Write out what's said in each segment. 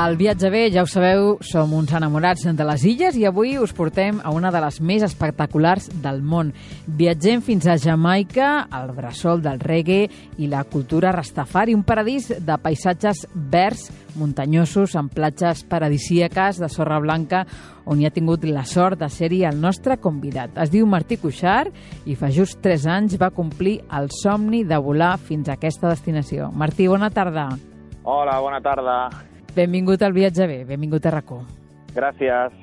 Al Viatge Bé, ja ho sabeu, som uns enamorats de les illes i avui us portem a una de les més espectaculars del món. Viatgem fins a Jamaica, al bressol del reggae i la cultura rastafari, un paradís de paisatges verds, muntanyosos, amb platges paradisíaques de sorra blanca, on hi ha tingut la sort de ser-hi el nostre convidat. Es diu Martí Cuixart i fa just 3 anys va complir el somni de volar fins a aquesta destinació. Martí, bona tarda. Hola, bona tarda. Benvingut al Viatge Bé, benvingut a RAC1. Gràcies.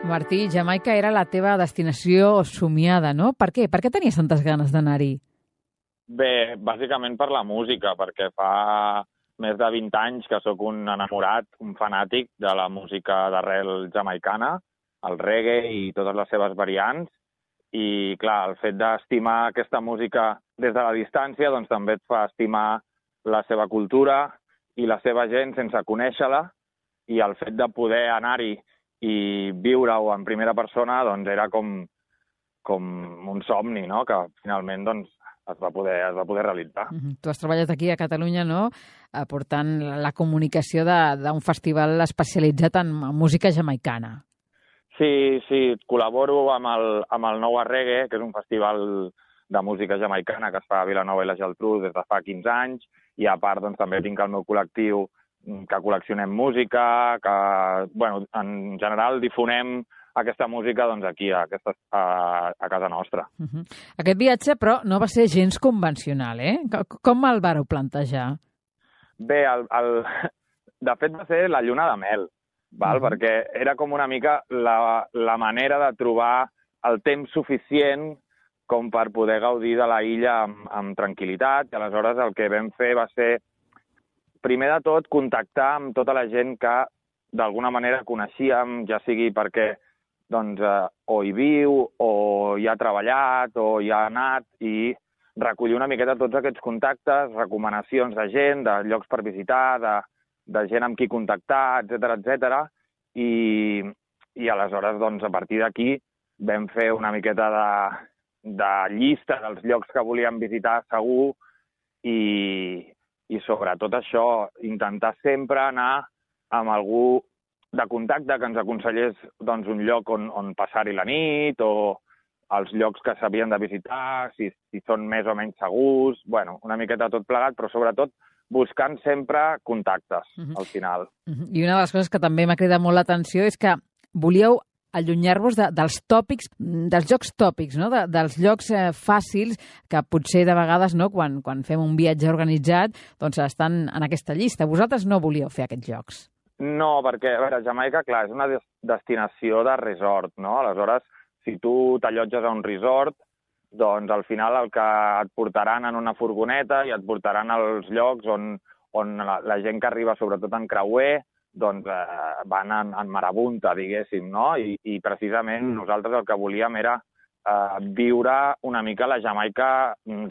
Martí, Jamaica era la teva destinació somiada, no? Per què? Per què tenies tantes ganes d'anar-hi? Bé, bàsicament per la música, perquè fa més de 20 anys que sóc un enamorat, un fanàtic de la música d'arrel jamaicana, el reggae i totes les seves variants. I, clar, el fet d'estimar aquesta música des de la distància doncs també et fa estimar la seva cultura i la seva gent sense conèixer-la. I el fet de poder anar-hi i viure-ho en primera persona doncs era com un somni, no?, que finalment doncs, es va poder realitzar. Tu has treballat aquí a Catalunya, no?, portant la comunicació d'un festival especialitzat en música jamaicana. Sí, col·laboro amb el Noua Reggae, que és un festival de música jamaicana que es fa a Vilanova i la Geltrú des de fa 15 anys, i a part doncs, també tinc el meu col·lectiu que col·leccionem música, que en general difonem aquesta música doncs, aquí, a casa nostra. Aquest viatge, però, no va ser gens convencional, eh? Com el vareu plantejar? Bé, de fet va ser la lluna de mel. Perquè era com una mica la manera de trobar el temps suficient com per poder gaudir de la illa amb tranquil·litat. I aleshores el que vam fer va ser, primer de tot, contactar amb tota la gent que d'alguna manera coneixíem, ja sigui perquè doncs, o hi viu, o hi ha treballat, o hi ha anat, i recollir una miqueta tots aquests contactes, recomanacions de gent, de llocs per visitar, de gent amb qui contactar, etc. I aleshores, doncs, a partir d'aquí, vam fer una miqueta de llista dels llocs que volíem visitar segur i sobretot això, intentar sempre anar amb algú de contacte que ens aconsellés doncs, un lloc on passar-hi la nit o els llocs que s'havien de visitar, si són més o menys segurs, una miqueta tot plegat, però sobretot buscant sempre contactes, al final. I una de les coses que també m'ha cridat molt l'atenció és que volíeu allunyar-vos dels tòpics, dels llocs tòpics, no? Dels llocs fàcils que potser de vegades, no, quan fem un viatge organitzat, doncs estan en aquesta llista. Vosaltres no volíeu fer aquests llocs. No, perquè, a veure, Jamaica, clar, és una destinació de resort, no? Aleshores, si tu t'allotges a un resort, doncs al final el que et portaran en una furgoneta i et portaran als llocs on la gent que arriba, sobretot en creuer, doncs van en marabunta, diguéssim, no? I precisament nosaltres el que volíem era viure una mica la Jamaica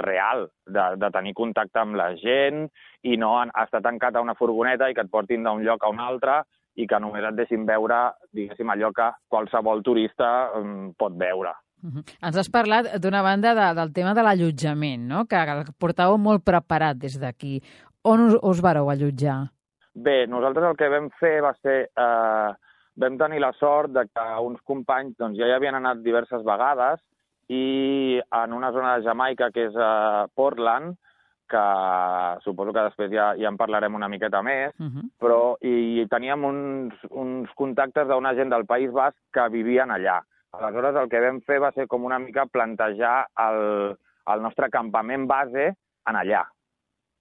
real, de tenir contacte amb la gent i no estar tancat a una furgoneta i que et portin d'un lloc a un altre i que només et deixin veure, diguéssim, allò que qualsevol turista pot veure. Ens has parlat, d'una banda, del tema de l'allotjament, no? Que el portàveu molt preparat des d'aquí. On us vareu allotjar? Bé, nosaltres el que vam fer va ser... vam tenir la sort de que uns companys doncs, ja hi havien anat diverses vegades i en una zona de Jamaica, que és Portland, que suposo que després ja en parlarem una miqueta més, però hi teníem uns contactes d'una gent del País Basc que vivien allà. Aleshores, el que vam fer va ser com una mica plantejar el nostre campament base en allà.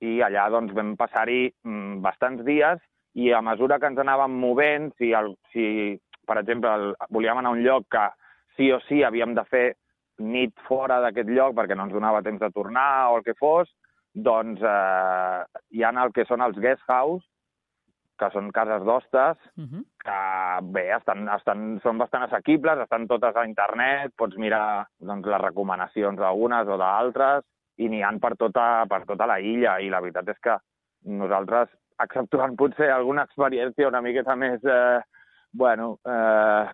I allà doncs, vam passar-hi bastants dies i a mesura que ens anàvem movent, si per exemple, volíem anar a un lloc que sí o sí havíem de fer nit fora d'aquest lloc perquè no ens donava temps de tornar o el que fos, doncs hi ha el que són els guest house, que són cases d'hostes, que bé, són bastant assequibles, estan totes a internet, pots mirar doncs, les recomanacions d'algunes o d'altres, i n'hi ha per tota la illa, i la veritat és que nosaltres, exceptuant potser alguna experiència una miqueta més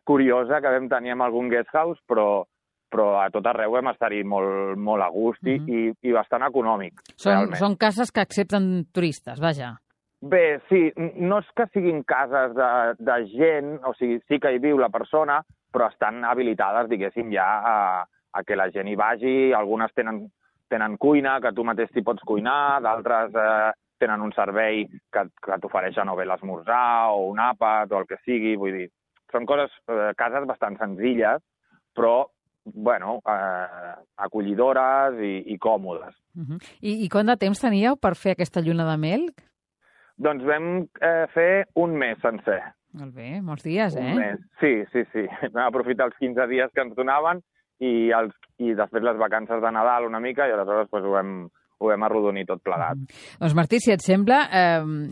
curiosa que vam tenir amb algun guest house, però però a tot arreu vam estar-hi molt a gust i bastant econòmic. Són cases que accepten turistes, vaja. Bé, sí, no és que siguin cases de gent, o sigui, sí que hi viu la persona, però estan habilitades, diguéssim, ja a que la gent hi vagi. Algunes tenen cuina, que tu mateix t'hi pots cuinar, d'altres tenen un servei que t'ofereixen o bé l'esmorzar o un àpat o el que sigui, vull dir, són cases bastant senzilles, però bueno, acollidores i còmodes. I quant de temps teníeu per fer aquesta lluna de mel? Doncs vam fer un mes sencer. Molt bé, molts dies, Un mes, sí. Vam aprofitar els 15 dies que ens donaven i després les vacances de Nadal una mica i aleshores ho vam arrodonir tot plegat. Doncs Martí, si et sembla,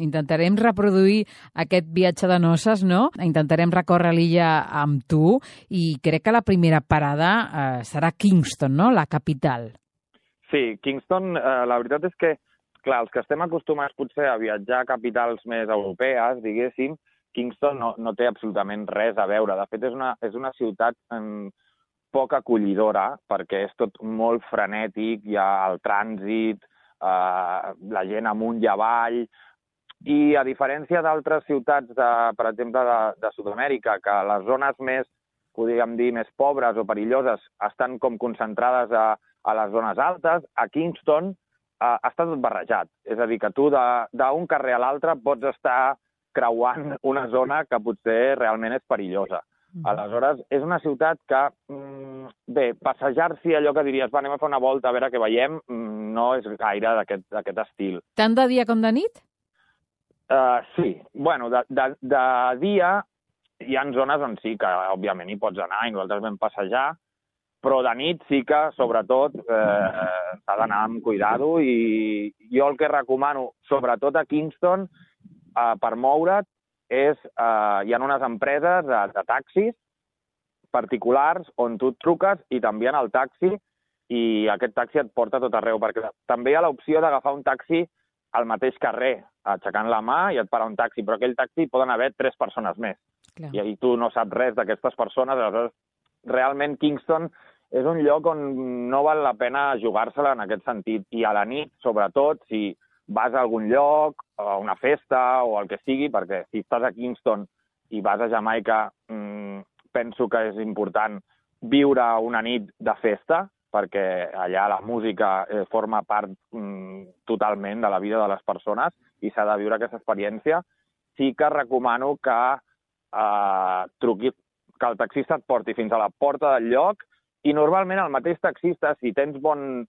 intentarem reproduir aquest viatge de noces, no? Intentarem recórrer l'illa amb tu i crec que la primera parada serà Kingston, no? La capital. Sí, Kingston, la veritat és que, clar, els que estem acostumats potser a viatjar a capitals més europees, diguéssim, Kingston no té absolutament res a veure. De fet, és una ciutat poc acollidora, perquè és tot molt frenètic, hi ha el trànsit, la gent amunt i avall, i a diferència d'altres ciutats, per exemple, de Sud-amèrica, que les zones més, podríem dir, més pobres o perilloses estan com concentrades a les zones altes, a Kingston està tot barrejat. És a dir, que tu d'un carrer a l'altre pots estar creuant una zona que potser realment és perillosa. Aleshores, és una ciutat que, bé, passejar-s'hi, allò que diries, anem a fer una volta a veure què veiem, no és gaire d'aquest estil. Tant de dia com de nit? Sí. Bueno, de dia hi ha zones on sí que, òbviament, hi pots anar i nosaltres vam passejar, però de nit sí que, sobretot, s'ha d'anar amb cuidado i jo el que recomano, sobretot a Kingston, per moure't, hi ha unes empreses de taxis particulars on tu et truques i t'envien el taxi i aquest taxi et porta a tot arreu, perquè també hi ha l'opció d'agafar un taxi al mateix carrer, aixecant la mà i et para un taxi, però aquell taxi poden haver 3 persones més. Clar. I tu no saps res d'aquestes persones, aleshores realment Kingston és un lloc on no val la pena jugar-se-la en aquest sentit. I a la nit, sobretot, si vas a algun lloc, a una festa o el que sigui, perquè si estàs a Kingston i vas a Jamaica, penso que és important viure una nit de festa, perquè allà la música forma part totalment de la vida de les persones i s'ha de viure aquesta experiència. Sí que recomano que que el taxista et porti fins a la porta del lloc i normalment el mateix taxista, si tens bon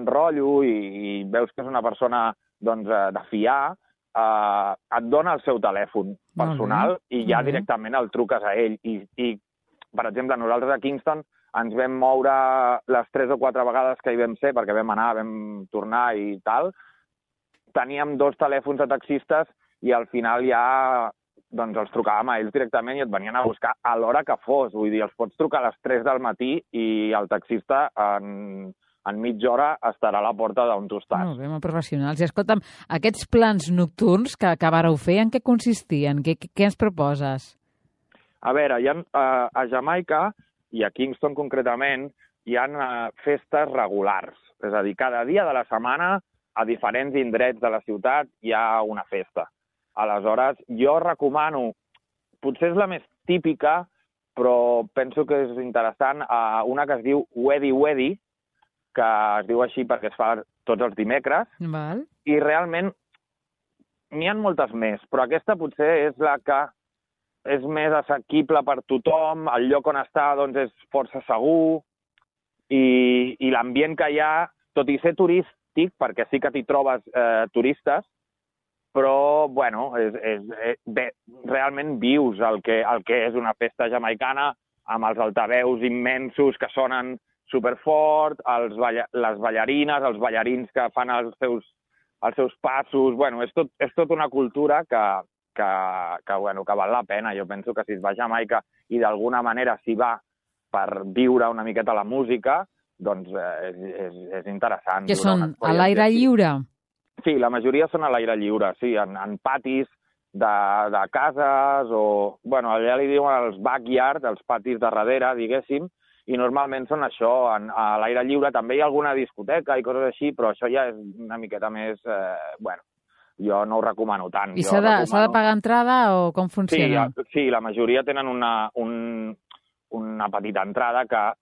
rotllo i veus que és una persona de fiar, et dona el seu telèfon personal i ja directament el truques a ell. I, per exemple, nosaltres a Kingston ens vam moure les 3 o 4 vegades que hi vam ser, perquè vam anar, vam tornar i tal. Teníem 2 telèfons de taxistes i al final ja els trucàvem a ells directament i et venien a buscar a l'hora que fos. Vull dir, els pots trucar a les 3 del matí i el taxista en mitja hora estarà a la porta d'on tu estàs. Molt bé, molt professionals. I escolta'm, aquests plans nocturns que vareu fer, en què consistien? Què ens proposes? A veure, a Jamaica, i a Kingston concretament, hi ha festes regulars. És a dir, cada dia de la setmana, a diferents indrets de la ciutat, hi ha una festa. Aleshores, jo recomano, potser és la més típica, però penso que és interessant, una que es diu Weddy Weddy, que es diu així perquè es fa tots els dimecres, Val. I realment n'hi ha moltes més, però aquesta potser és la que és més assequible per tothom, el lloc on està és força segur, i l'ambient que hi ha, tot i ser turístic, perquè sí que t'hi trobes turistes, però, bueno, realment vius el que és una festa jamaicana amb els altaveus immensos que sonen superfort, les ballarines, els ballarins que fan els seus passos. Bueno, és tot una cultura que val la pena. Jo penso que si es va a Jamaica i d'alguna manera s'hi va per viure una miqueta la música, doncs és interessant. Que són a l'aire lliure? Sí, la majoria són a l'aire lliure, sí, en patis de cases o... Bueno, allà li diuen els backyard, els patis de darrere, diguéssim, i normalment són això, a l'aire lliure. També hi ha alguna discoteca i coses així, però això ja és una miqueta més... bueno, jo no ho recomano tant. I s'ha de pagar entrada o com funciona? Sí, la majoria tenen una petita entrada que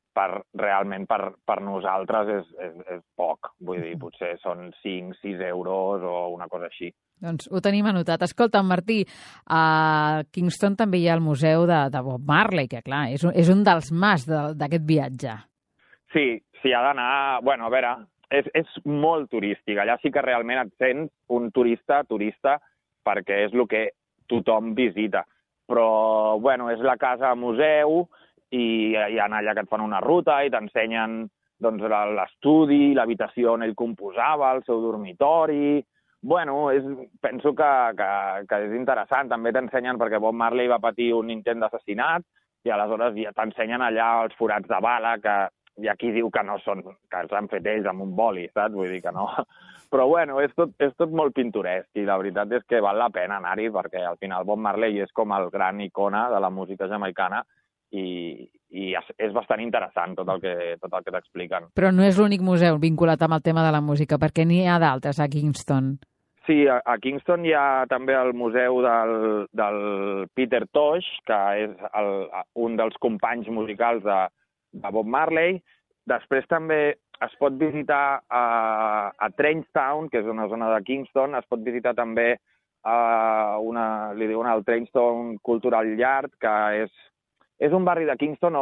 realment per nosaltres és poc. Vull dir, potser són 5-6 euros o una cosa així. Doncs ho tenim anotat. Escolta, Martí, a Kingston també hi ha el museu de Bob Marley, que clar, és un dels mas d'aquest viatge. Sí, ha d'anar... Bueno, a veure, és molt turístic. Allà sí que realment et sents un turista, perquè és el que tothom visita. Però, bueno, és la casa museu i hi ha allà que et fan una ruta i t'ensenyen doncs, l'estudi, l'habitació on ell composava, el seu dormitori... Bueno, penso que és interessant. També t'ensenyen, perquè Bob Marley va patir un intent d'assassinat i aleshores ja t'ensenyen allà els forats de bala, que hi ha qui diu que no són, que els han fet ells amb un boli, saps? Vull dir que no. Però bueno, és tot molt pintoresc i la veritat és que val la pena anar-hi perquè al final Bob Marley és com el gran icona de la música jamaicana i és bastant interessant tot el que t'expliquen. Però no és l'únic museu vinculat amb el tema de la música, perquè n'hi ha d'altres a Kingston. Sí, a Kingston hi ha també el museu del Peter Tosh, que és un dels companys musicals de Bob Marley. Després també es pot visitar a Trainstown, que és una zona de Kingston, es pot visitar també li diuen el Trainstown Cultural Yard, que és un barri de Kingston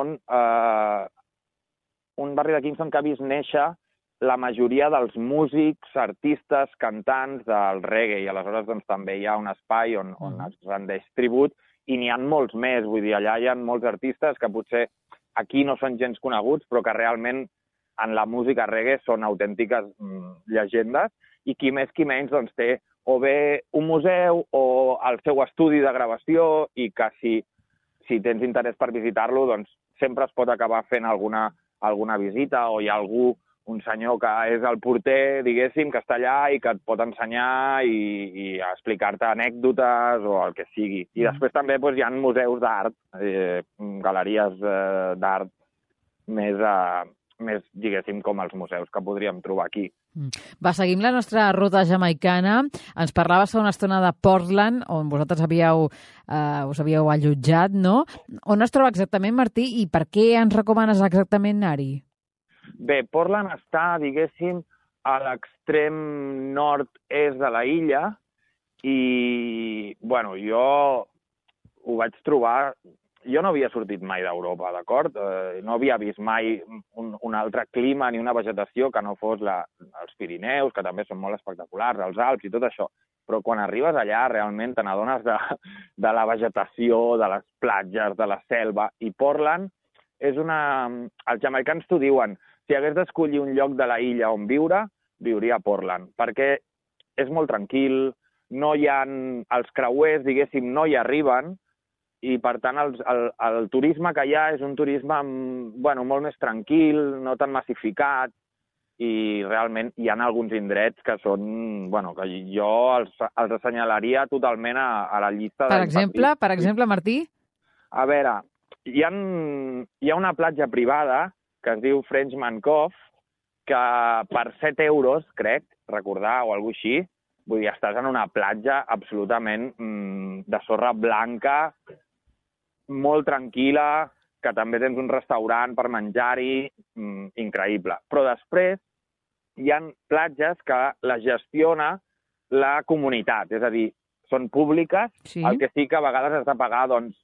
que ha vist néixer la majoria dels músics, artistes, cantants del reggae, i aleshores doncs, també hi ha un espai on es rendeix tribut, i n'hi ha molts més, vull dir, allà hi ha molts artistes que potser aquí no són gens coneguts, però que realment en la música reggae són autèntiques llegendes, i qui més qui menys doncs, té o bé un museu o el seu estudi de gravació, i que si tens interès per visitar-lo, doncs sempre es pot acabar fent alguna visita, o hi ha un senyor que és el porter, diguéssim, que està allà i que et pot ensenyar i explicar-te anècdotes o el que sigui. I després també hi ha museus d'art, galeries d'art més, diguéssim, com els museus que podríem trobar aquí. Va, seguim la nostra ruta jamaicana. Ens parlaves fa una estona de Portland, on vosaltres us havíeu allotjat, no? On es troba exactament, Martí, i per què ens recomanes exactament anar-hi? Bé, Portland està, diguéssim, a l'extrem nord-est de la illa i, bueno, jo ho vaig trobar... Jo no havia sortit mai d'Europa, d'acord? No havia vist mai un altre clima ni una vegetació que no fos els Pirineus, que també són molt espectaculars, els Alps i tot això. Però quan arribes allà realment te n'adones de la vegetació, de les platges, de la selva. I Portland és Els jamaicans t'ho diuen, si hagués d'escollir un lloc de la illa on viure, viuria a Portland, perquè és molt tranquil, no hi ha... Els creuers, diguéssim, no hi arriben, i, per tant, el turisme que hi ha és un turisme molt més tranquil, no tan massificat, i realment hi ha alguns indrets que són... que jo els assenyalaria totalment a la llista... Per exemple, Martí? A veure, hi ha una platja privada que es diu Frenchman Cove, que per 7 euros, crec, recordar, o alguna cosa així, vull dir, estàs en una platja absolutament de sorra blanca, molt tranquil·la, que també tens un restaurant per menjar-hi, increïble. Però després hi ha platges que les gestiona la comunitat, és a dir, són públiques, sí. El que sí que a vegades has de pagar, doncs,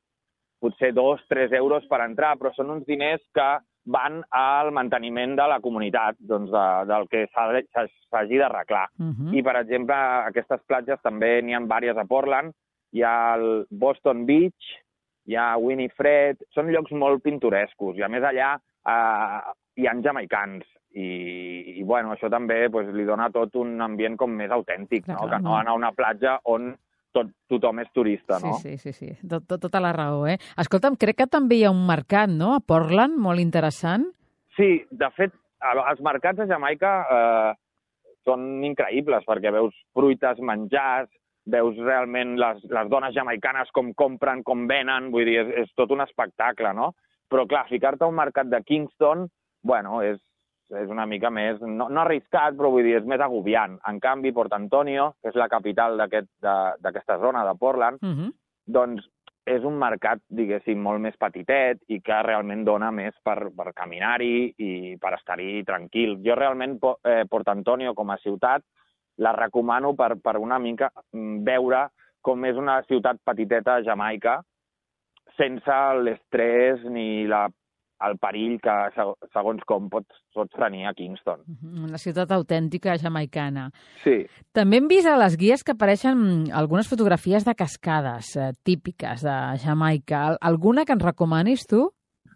potser 2-3 euros per entrar, però són uns diners que van al manteniment de la comunitat, doncs del que s'hagi d'arreglar. I, per exemple, aquestes platges també n'hi ha diverses a Portland, hi ha el Boston Beach, hi ha Winifred, són llocs molt pintorescos, i a més allà hi ha jamaicans, i bueno, això també li dona tot un ambient com més autèntic, no? Que no anar a una platja on tothom és turista, no? Sí. Tota la raó, eh? Escolta'm, crec que també hi ha un mercat, no?, a Portland, molt interessant. Sí, de fet, els mercats a Jamaica són increïbles, perquè veus fruites, menjars, veus realment les dones jamaicanes com compren, com venen, vull dir, és tot un espectacle, no? Però, clar, ficar-te a un mercat de Kingston, bueno, és una mica més, no arriscat, però vull dir, és més agobiant. En canvi, Port Antonio, que és la capital d'aquesta zona de Portland, doncs és un mercat, diguéssim, molt més petitet i que realment dona més per caminar-hi i per estar-hi tranquil. Jo realment Port Antonio com a ciutat la recomano per una mica veure com és una ciutat petiteta a Jamaica sense l'estrès ni el perill que segons com pots tenir a Kingston. Una ciutat autèntica jamaicana. Sí. També hem vist a les guies que apareixen algunes fotografies de cascades típiques de Jamaica. Alguna que ens recomanis tu?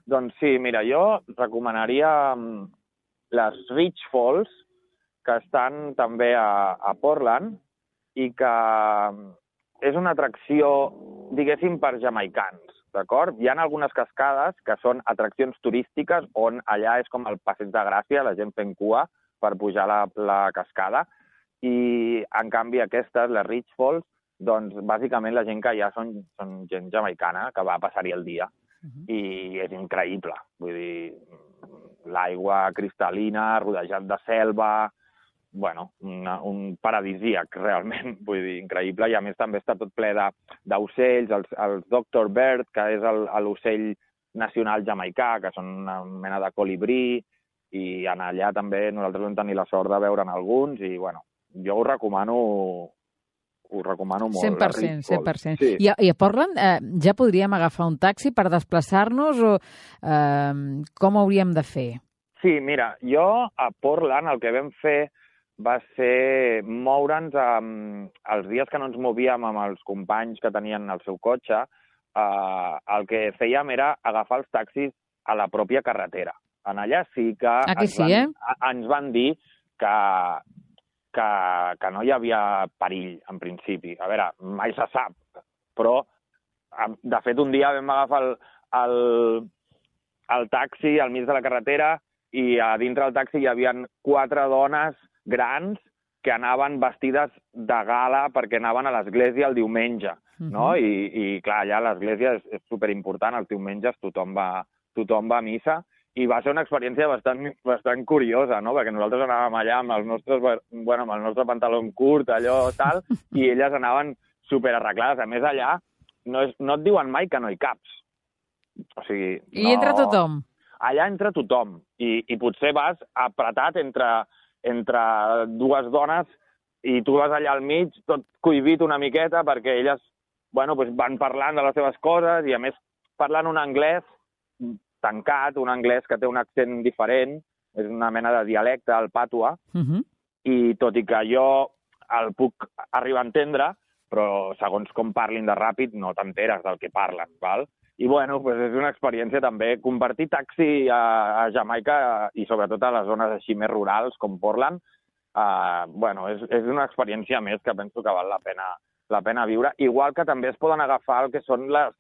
Doncs sí, mira, jo recomanaria les Rich Falls, que estan també a Portland i que és una atracció, diguéssim, per jamaicans, d'acord? Hi ha algunes cascades que són atraccions turístiques on allà és com el passeig de Gràcia, la gent fent cua per pujar la cascada, i en canvi aquestes, les Rich Falls, doncs bàsicament la gent que hi ha són gent jamaicana que va a passar-hi el dia. I és increïble, vull dir, l'aigua cristal·lina, rodejat de selva, bueno, un paradisíac, realment, vull dir, increïble, i a més també està tot ple d'ocells, els Dr. Bird, que és l'ocell nacional jamaicà, que són una mena de colibrí, i allà també nosaltres vam tenir la sort de veure'n alguns, i bueno, jo ho recomano molt. 100%, 100%. Sí. I a Portland ja podríem agafar un taxi per desplaçar-nos o com ho hauríem de fer? Sí, mira, jo a Portland el que vam fer va ser moure'ns els dies que no ens movíem amb els companys que tenien el seu cotxe, el que fèiem era agafar els taxis a la pròpia carretera. En allà sí que ens van dir que no hi havia perill, en principi. A veure, mai se sap, però de fet un dia vam agafar el taxi al mig de la carretera i a dintre del taxi hi havia 4 dones grans que anaven vestides de gala perquè anaven a l'església el diumenge, no? I clar, allà l'església és superimportant, els diumenges tothom va a missa, i va ser una experiència bastant curiosa, no? Perquè nosaltres anàvem allà amb el nostre pantaló curt, allò tal, i elles anaven superarreglades. A més, allà no et diuen mai que no hi caps. O sigui, I entra tothom. Allà entra tothom, i potser vas apretat entre 2 dones i tu vas allà al mig, tot cohibit una miqueta, perquè elles van parlant de les seves coses i, a més, parlant un anglès tancat, un anglès que té un accent diferent, és una mena de dialecte, el patua, i tot i que jo el puc arribar a entendre, però segons com parlin de ràpid no t'enteres del que parlen, val? I és una experiència també. Compartir taxi a Jamaica i sobretot a les zones així més rurals com Portland, és una experiència més que penso que val la pena viure. Igual que també es poden agafar el que són les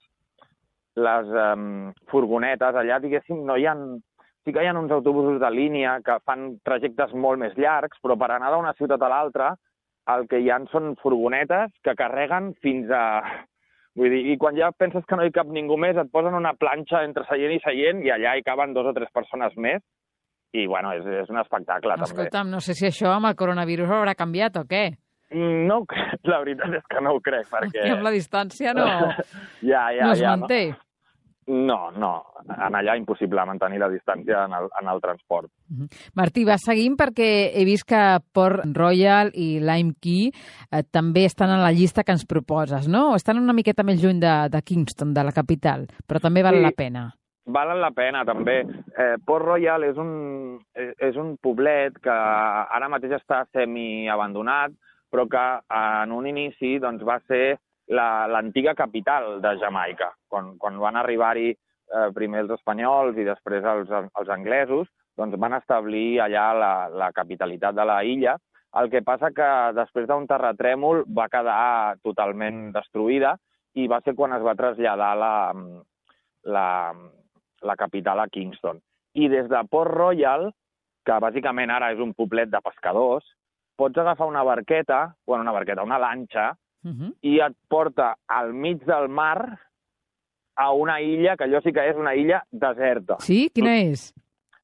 furgonetes. Allà, diguéssim, sí que hi ha uns autobusos de línia que fan trajectes molt més llargs, però per anar d'una ciutat a l'altra el que hi ha són furgonetes que carreguen fins a... Vull dir, i quan ja penses que no hi cap ningú més, et posen una planxa entre seient i seient i allà hi caben 2 o 3 persones més. I, és un espectacle, també. Escolta'm, no sé si això amb el coronavirus haurà canviat o què? No, la veritat és que no ho crec, perquè... I amb la distància no es manté. No. En allà impossible mantenir la distància en el transport. Martí, va seguint perquè he vist que Port Royal i Lime Key també estan en la llista que ens proposes, no? Estan una miqueta més lluny de Kingston, de la capital, però també val la pena. Valen la pena, també. Port Royal és un poblet que ara mateix està semi-abandonat, però que en un inici va ser l'antiga capital de Jamaica. Quan van arribar-hi primer els espanyols i després els anglesos, van establir allà la capitalitat de la illa. El que passa que després d'un terratrèmol va quedar totalment destruïda i va ser quan es va traslladar la capital a Kingston. I des de Port Royal, que bàsicament ara és un poblet de pescadors, pots agafar una lanxa, i et porta al mig del mar a una illa, que allò sí que és una illa deserta. Sí? Quina és?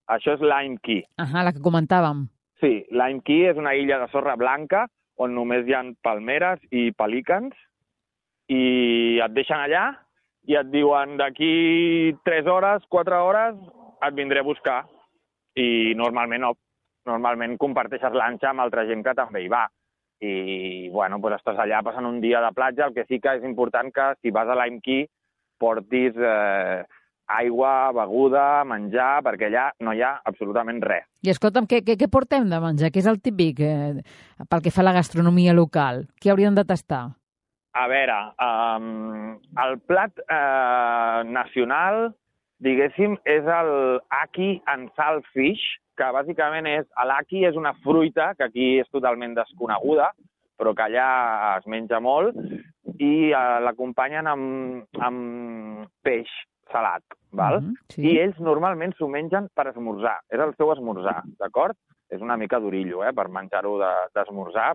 Això és Lime Key. La que comentàvem. Sí, Lime Key és una illa de sorra blanca on només hi ha palmeres i pelícans i et deixen allà i et diuen d'aquí 3 hores, 4 hores et vindré a buscar. I normalment no. Normalment comparteixes lanxa amb altra gent que també hi va. I, bueno, doncs estàs allà passant un dia de platja. El que sí que és important que si vas a Lime Key portis aigua, beguda, menjar, perquè allà no hi ha absolutament res. I escolta'm, què portem de menjar? Què és el típic pel que fa a la gastronomia local? Què hauríem de tastar? A veure, el plat nacional, diguéssim, és el Ackee and Saltfish, que bàsicament l'Ackee és una fruita que aquí és totalment desconeguda, però que allà es menja molt, i l'acompanyen amb peix salat, val? Sí. I ells normalment s'ho mengen per esmorzar, és el seu esmorzar, d'acord? És una mica d'orillo, per menjar-ho d'esmorzar.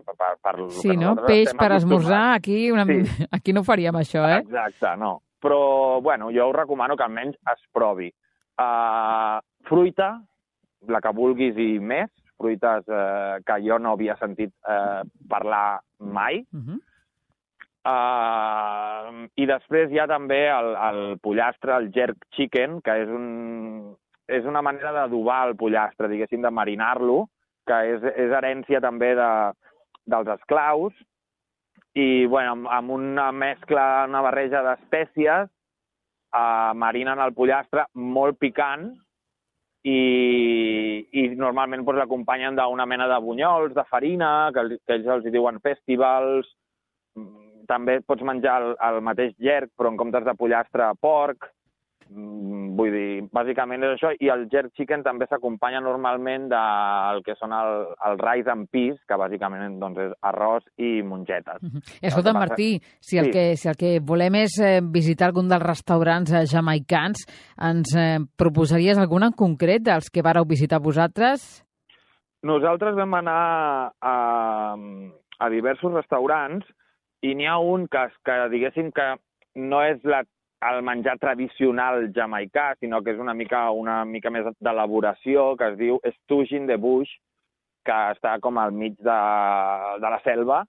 Sí, no? Peix per esmorzar, aquí no faríem això, Exacte, no. Però, bueno, jo us recomano que almenys es provi. Fruita, la que vulguis i més, fruites que jo no havia sentit parlar mai. I després hi ha també el pollastre, el jerk chicken, que és una manera d'adobar el pollastre, diguéssim, de marinar-lo, que és herència també dels esclaus, i bueno, amb una mescla, una barreja d'espècies, marinen el pollastre molt picant i normalment l'acompanyen d'una mena de bunyols, de farina, que ells els diuen festivals. També pots menjar el mateix jerk, però en comptes de pollastre, porc. Vull dir, bàsicament és això. I el jerk chicken també s'acompanya normalment del que són el rice and peas, que bàsicament doncs, és arròs i mongetes. Escolta, Martí, si el que volem és visitar algun dels restaurants jamaicans, ens proposaries algun en concret dels que vareu visitar vosaltres? Nosaltres vam anar a diversos restaurants i n'hi ha un que diguéssim que no és el menjar tradicional jamaicà, sinó que és una mica més d'elaboració, que es diu Stooge in the Bush, que està com al mig de la selva,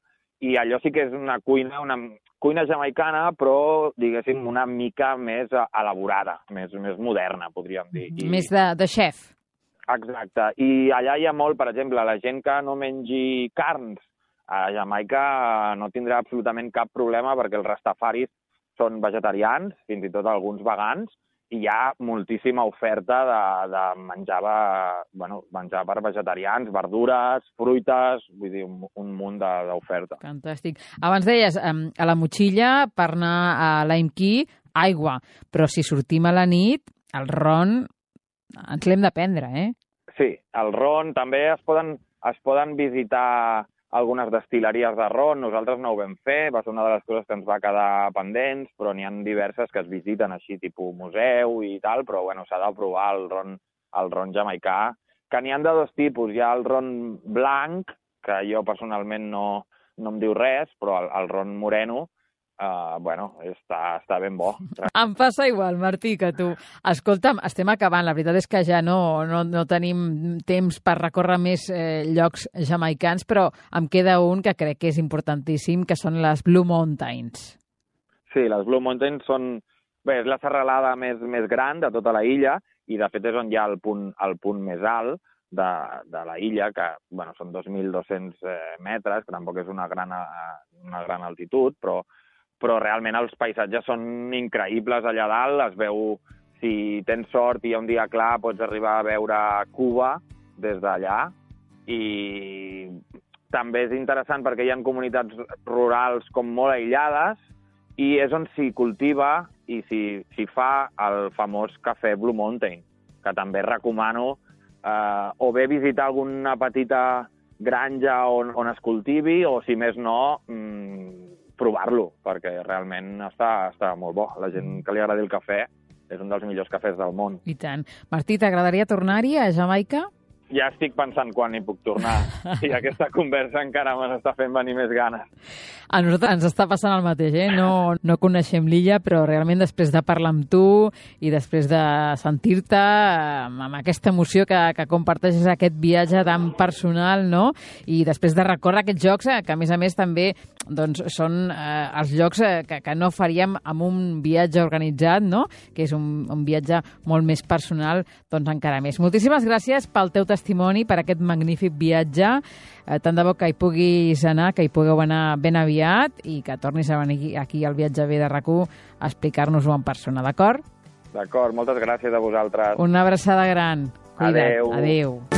i allò sí que és una cuina jamaicana, però, diguéssim, una mica més elaborada, més moderna, podríem dir. Més de xef. Exacte. I allà hi ha molt, per exemple, la gent que no mengi carns, a Jamaica no tindrà absolutament cap problema perquè els rastafaris són vegetarians, fins i tot alguns vegans, i hi ha moltíssima oferta de menjar per vegetarians, verdures, fruites, vull dir, un munt d'oferta. Fantàstic. Abans deies, a la motxilla, per anar a Lime Key, aigua, però si sortim a la nit, el ron ens l'hem de prendre, Sí, el ron també es poden visitar algunes destil·leries de ron, nosaltres no ho vam fer, va ser una de les coses que ens va quedar pendents, però n'hi ha diverses que es visiten així, tipus museu i tal, però bueno, s'ha de provar el ron jamaicà, que n'hi ha de dos tipus. Hi ha el ron blanc, que jo personalment no em diu res, però el ron moreno, està ben bo. Em passa igual, Martí, que tu. Escolta'm, estem acabant. La veritat és que ja no tenim temps per recórrer més llocs jamaicans, però em queda un que crec que és importantíssim, que són les Blue Mountains. Sí, les Blue Mountains és la serralada més gran de tota la illa i, de fet, és on hi ha el punt més alt de la illa, que són 2.200 metres, que tampoc és una gran altitud, però realment els paisatges són increïbles allà dalt. Es veu, si tens sort i hi ha un dia clar, pots arribar a veure Cuba des d'allà. I també és interessant perquè hi ha comunitats rurals com molt aïllades i és on s'hi cultiva i s'hi fa el famós cafè Blue Mountain, que també recomano o bé visitar alguna petita granja on es cultivi o, si més no, provar-lo, perquè realment està molt bo. La gent que li agradi el cafè és un dels millors cafès del món. I tant. Martí, t'agradaria tornar-hi a Jamaica? ja estic pensant quan hi puc tornar. I aquesta conversa encara m'està fent venir més ganes. A nosaltres ens està passant el mateix, No coneixem l'illa, però realment després de parlar amb tu i després de sentir-te amb aquesta emoció que comparteixes aquest viatge tan personal, no? I després de recórrer aquests jocs, que a més també doncs, són els llocs que no faríem amb un viatge organitzat, no? Que és un viatge molt més personal, doncs encara més. Moltíssimes gràcies pel teu testimoni, per aquest magnífic viatge. Tant de bo que hi puguis anar, que hi pugueu anar ben aviat i que tornis a venir aquí al Viatge Bé de RAC1 a explicar-nos-ho en persona, d'acord? D'acord, moltes gràcies a vosaltres. Una abraçada gran. Cuida't. Adéu. Adéu.